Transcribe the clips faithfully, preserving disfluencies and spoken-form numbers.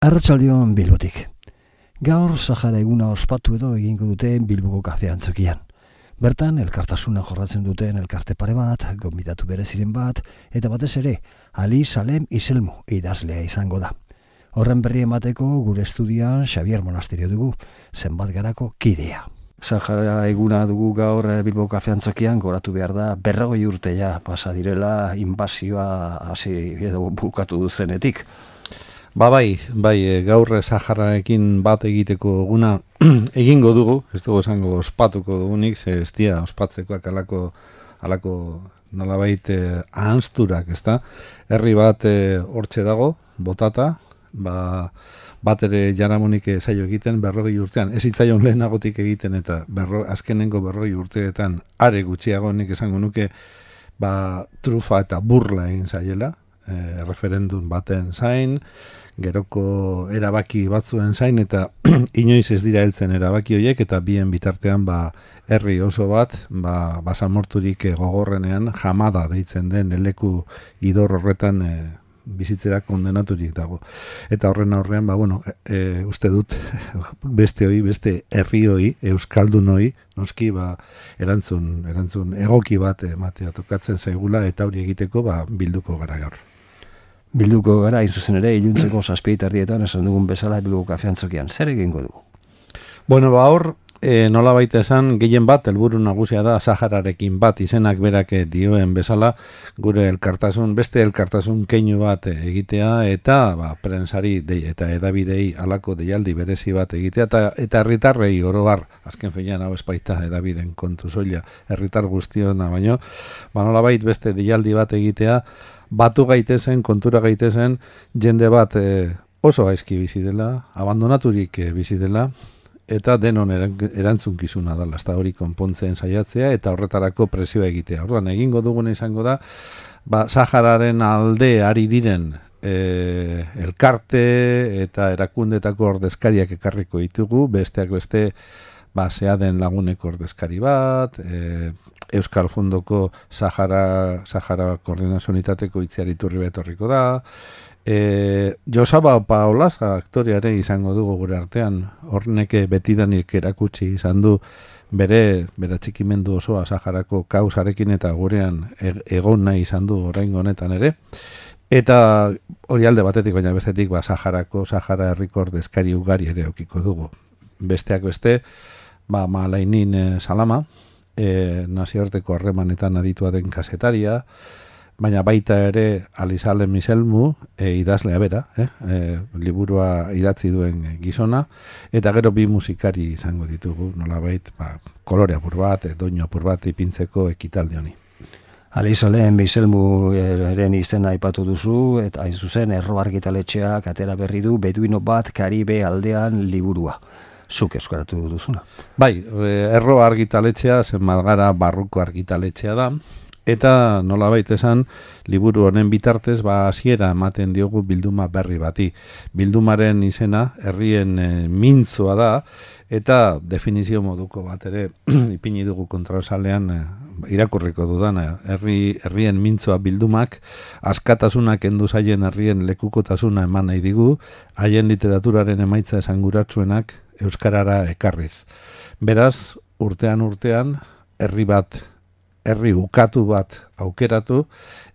Arratsaldeon Bilbotik. Gaur Sahara eguna ospatu edo egingo dute Bilboko kafe antzokian. Bertan elkartasuna jorratzen duten elkarte pare bat, gonbidatu bereziren bat, eta batez ere, Ali Salem Iselmu idazlea izango da. Horren berri emateko gure estudian Xavier Monasterio dugu, zenbat garako kidea. Sahara eguna dugu gaur Bilboko kafe antzokian, goratu behar da berrogei urte ja pasa direla inbasioa hasi edo bukatu duzenetik. Ba bai, bai, gaur Sahararekin bat egiteko eguna egingo dugu, ez dugu esango ospatuko dugunik, ze ez dira ospatzekoak alako, alako nolabait eh, ahanzturak, ez da? Herri bat eh, hortxe dago, botata, ba, bat ere jaramonik zaio egiten berrogei urtean, ez itzaion lehenagotik egiten eta berro, azkenengo berrogei urteetan are gutxiago nik esango nuke ba, trufa eta burla egin zaiela, eh, referendum baten zain, geroko erabaki batzuen zain eta inoiz ez dira heltzen erabaki horiek eta bien bitartean ba herri oso bat ba basamorturik gogorrenean Jamada deitzen den leku idor horretan e, bizitzera kondenaturik dago. Eta horren aurrean ba bueno, e, uste dut beste hoi, beste herri hoi, euskaldun hoi, noski ba erantzun erantzun egoki bat ematea tokatzen zaigula eta hori egiteko ba bilduko gara gaur. Bilduko gara, hain zuzen ere, iluntzeko zazpietardietan esan dugun bezala Bilboko kafe antzokian. Zer egingo dugu? Bueno, ba hor, e, nola baita esan, gehien bat, helburu nagusia da, Sahararekin bat, izenak berak dioen bezala, gure elkartasun, beste elkartasun keinu bat egitea, eta ba, prensari de, eta edabidei alako deialdi berezi bat egitea, eta eta herritarrei oro har, azken feian hau espaita edabiden kontu soila, herritar guztiona baino, ba nola bait beste deialdi bat egitea, batu gaitezen, kontura gaitezen, jende bat e, oso gaizki bizi dela, abandonaturik e, bizi dela, eta denon erantzunkizuna dela, ez da hori konpontzen saiatzea, eta horretarako presioa egitea. Orduan, egingo duguna izango da, ba, Sahararen alde ari diren e, elkarte eta erakundetako ordezkariak ekarriko ditugu, besteak beste, ba, Seaden laguneko ordezkari bat, e, Euskal Fundoko Sahara, Sahara Koordinazio Unitateko itziariturri betorriko da. E, Josaba Paolaza aktoreare izango dugu gure artean, horneke betidanik erakutsi izan du bere, bere txikimendu osoa Saharako kausarekin eta gurean egon nahi izan du oraingo honetan ere. Eta hori alde batetik, baina bestetik ba, Saharako, Sahara herriko ordezkari ugari ere aukiko dugu. Besteak beste, ba, Malainin e, Salama, E, nazioarteko harremanetan aditua den kasetaria, baina baita ere Ali Salem Iselmu e, idazlea bera, eh? e, liburua idatzi duen gizona, eta gero bi musikari izango ditugu, nolabait, ba, kolore apur bat, e, doinu apur bat ipintzeko ekitaldi honi. Ali Salem Iselmu eren izena aipatu duzu, eta hain zuzen Erro argitaletxeak atera berri du Beduino bat Karibe aldean liburua. Zuk eskaratu duzuna. Bai, Erro argitaletxea, zenbat gara barruko argitaletxea da, eta nolabait esan, liburu honen bitartez, ba hasiera ematen diogu bilduma berri bati. Bildumaren izena, herrien e, mintzoa da, eta definizio moduko bat ere, ipini dugu kontrolsalean, e, irakurriko dudan, herri, herrien mintzoa bildumak, askatasunak endu zaien herrien lekukotasuna eman nahi digu, haien literaturaren emaitza esanguratsuenak, euskarara ekarriz. Beraz, urtean urtean, herri bat, herri ukatu bat aukeratu,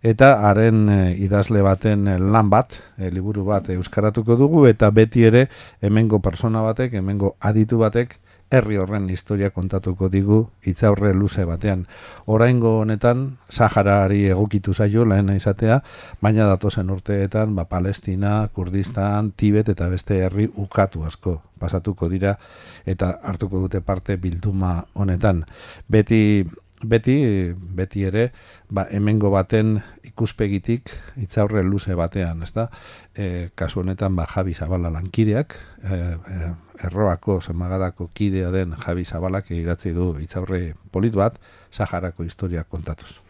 eta haren e, idazle baten e, lan bat, e, liburu bat euskaratuko dugu, eta beti ere hemengo persona batek, hemengo aditu batek, herri horren historia kontatuko digu hitzaurre luze batean. Oraingo honetan Saharari egokitu zaio lehena izatea, baina datozen urteetan ba, Palestina, Kurdistan, Tibet eta beste herri ukatu asko pasatuko dira eta hartuko dute parte bilduma honetan. Beti Beti, beti ere, ba, hemengo baten ikuspegitik hitzaurre luze batean, ezta? E, kasu honetan ba, Javi Zabala lankideak, e, e, Erroako Zemagadako kidea den Javi Zabalak idatzi du hitzaurre polit bat, Saharako historia kontatuz.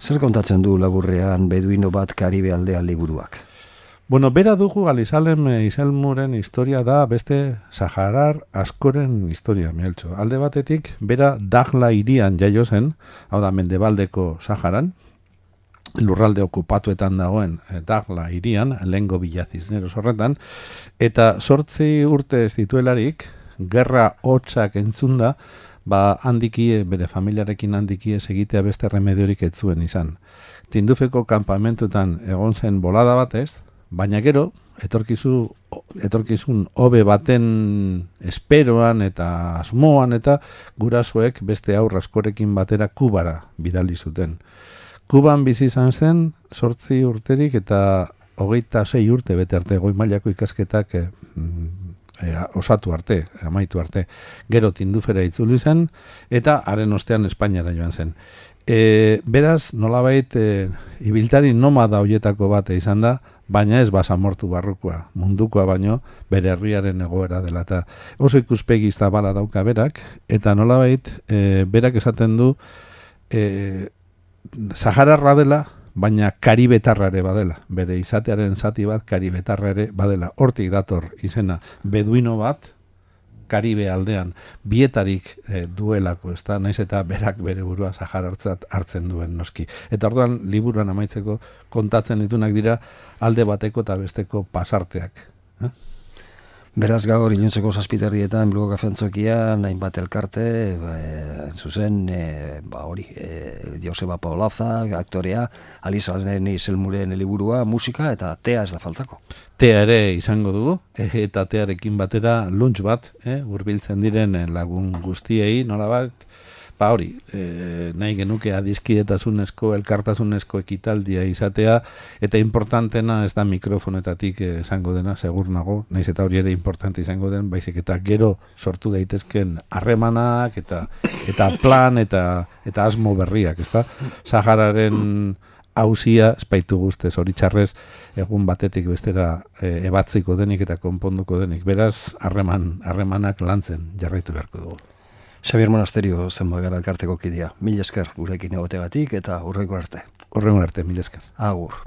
Zer kontatzen du laburrean Beduino bat Karibe aldean liburuak? Bueno, bera dugu Ali Salem Iselmuren historia da beste Saharar askoren historia, Mieltxo. Alde batetik, bera Dakhla hirian jaio zen, hau da Mendebaldeko Saharan, lurralde okupatuetan dagoen e, Dagla hirian, lehengo Villa Cisneros horretan, eta sortzi urte ez dituelarik, gerra hotsak entzunda, ba handiki, bere familiarekin handiki ez egitea beste remediorik ez zuen izan. Tindufeko kanpamentutan egon zen bolada batez, baina gero, etorkizu, etorkizun hobe baten esperoan eta asmoan eta gurasoek beste aurra askorekin batera Kubara bidali zuten. Kuban bizi izan zen, sortzi urterik eta hogeita sei urte bete arte goi mailako ikasketak e, e, osatu arte, amaitu arte. Gero Tindufera itzuli zen eta haren ostean Espainiara joan zen. E, beraz, nolabait, e, ibiltari nomada hoietako bate izan da, baina ez basamortu barrukoa, mundukoa baino, bere herriaren egoera dela. Eta oso ikuspegi zabala dauka berak, eta nolabait, e, berak esaten du, e, Sahararra dela, baina karibetarrare badela. Bere izatearen zati bat karibetarrare badela. Hortik dator izena beduino bat, Karibe aldean, bietarik e, duelako, ez da, naiz eta berak bere burua Saharartzat hartzen duen noski. Eta orduan, liburuan amaitzeko kontatzen ditunak dira alde bateko eta besteko pasarteak. Eh? Beraz gaur iluntzeko zazpiterrietan Bilboko Kafeantzokian hainbat elkarte, e, zuzen, e, ba hori, e, Joseba Paulaza, aktorea, Alizaren Izelmuren liburua, musika eta tea ez da faltako. Tea ere izango dugu, e, eta tearekin batera lunch bat, eh, hurbiltzen diren lagun guztiei, nola bat, ba hori, e, nahi genuke adiskidetasunezko, elkartasunezko ekitaldia izatea, eta importantena ez da mikrofonetatik esango dena, segur nago, naiz eta hori ere importante izango den, baizik eta gero sortu daitezken harremanak, eta eta plan, eta eta asmo berriak, ezta? Sahararen hauzia, espaitu guztez, hori txarrez, egun batetik bestera e, ebatziko denik eta konponduko denik. Beraz, harreman, harremanak lantzen jarraitu beharko dugu. Xabier Monasterio zenbait gara elkarteko kidea. Mil esker gurekin egoteagatik eta hurrengo arte. Hurrengo arte, mil esker. Agur.